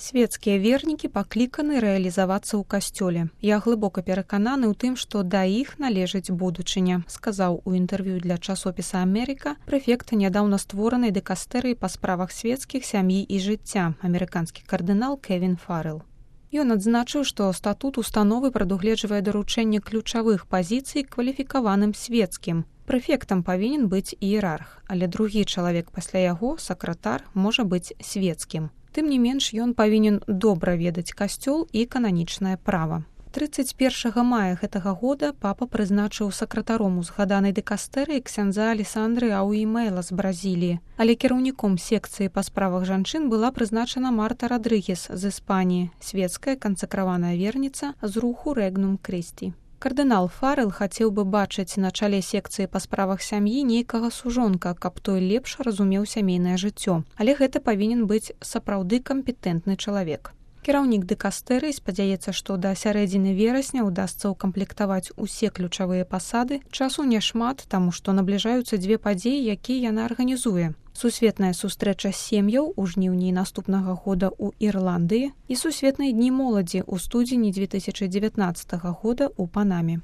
Свецкія вернікі пакліканы рэалізавацца ў касцёле. Я глыбока перакананы ў тым, што да іх належыць будучыня, сказаў у інтэрв'ю для часопіса «Амерыка» прэфект нядаўна створанай дыкастэрыі па справах свецкіх, сям'і і жыцця, амерыканскі кардынал Кевін Фаррелл. Ён адзначыў, што статут установы прадугледжвае даручэнне ключавых пазіцый кваліфікаваным свецкім. Прэфектам павінен быць іерарх, але другі чалавек пасля яго, сакратар, можа быць свецкім. Тым не менш, ён павінен добра ведаць касцёл і кананічнае права. 31 мая гэтага года папа прызначыў сакратаром узгаданай дыкастэрыі ксяндза Алесандры Ауімэла з Бразіліі, але кіраўніком секцыі па справах жанчын была прызначана Марта Радрыгес з Іспаніі, свецкая кансакраваная верніца з руху Рэгнум Крысці. Кардынал Фаррелл хацеў бы бачыць на чале секцыі па справах сям'і нейкага сужонка, каб той лепш разумеў сямейнае жыццё. Але гэта павінен быць сапраўды кампетэнтны чалавек. Кіраўнік дыкастэрыі спадзяецца, што да сярэдзіны верасня ўдасца ўкамплектаваць усе ключавыя пасады. Часу няшмат, таму што набліжаюцца дзве падзеі, якія яна арганізуе. Сусветная сустрэча сем'яў у жніўні наступнага года ў Ірландыі і сусветныя дні моладзі ў студзені 2019 года ў Панаме.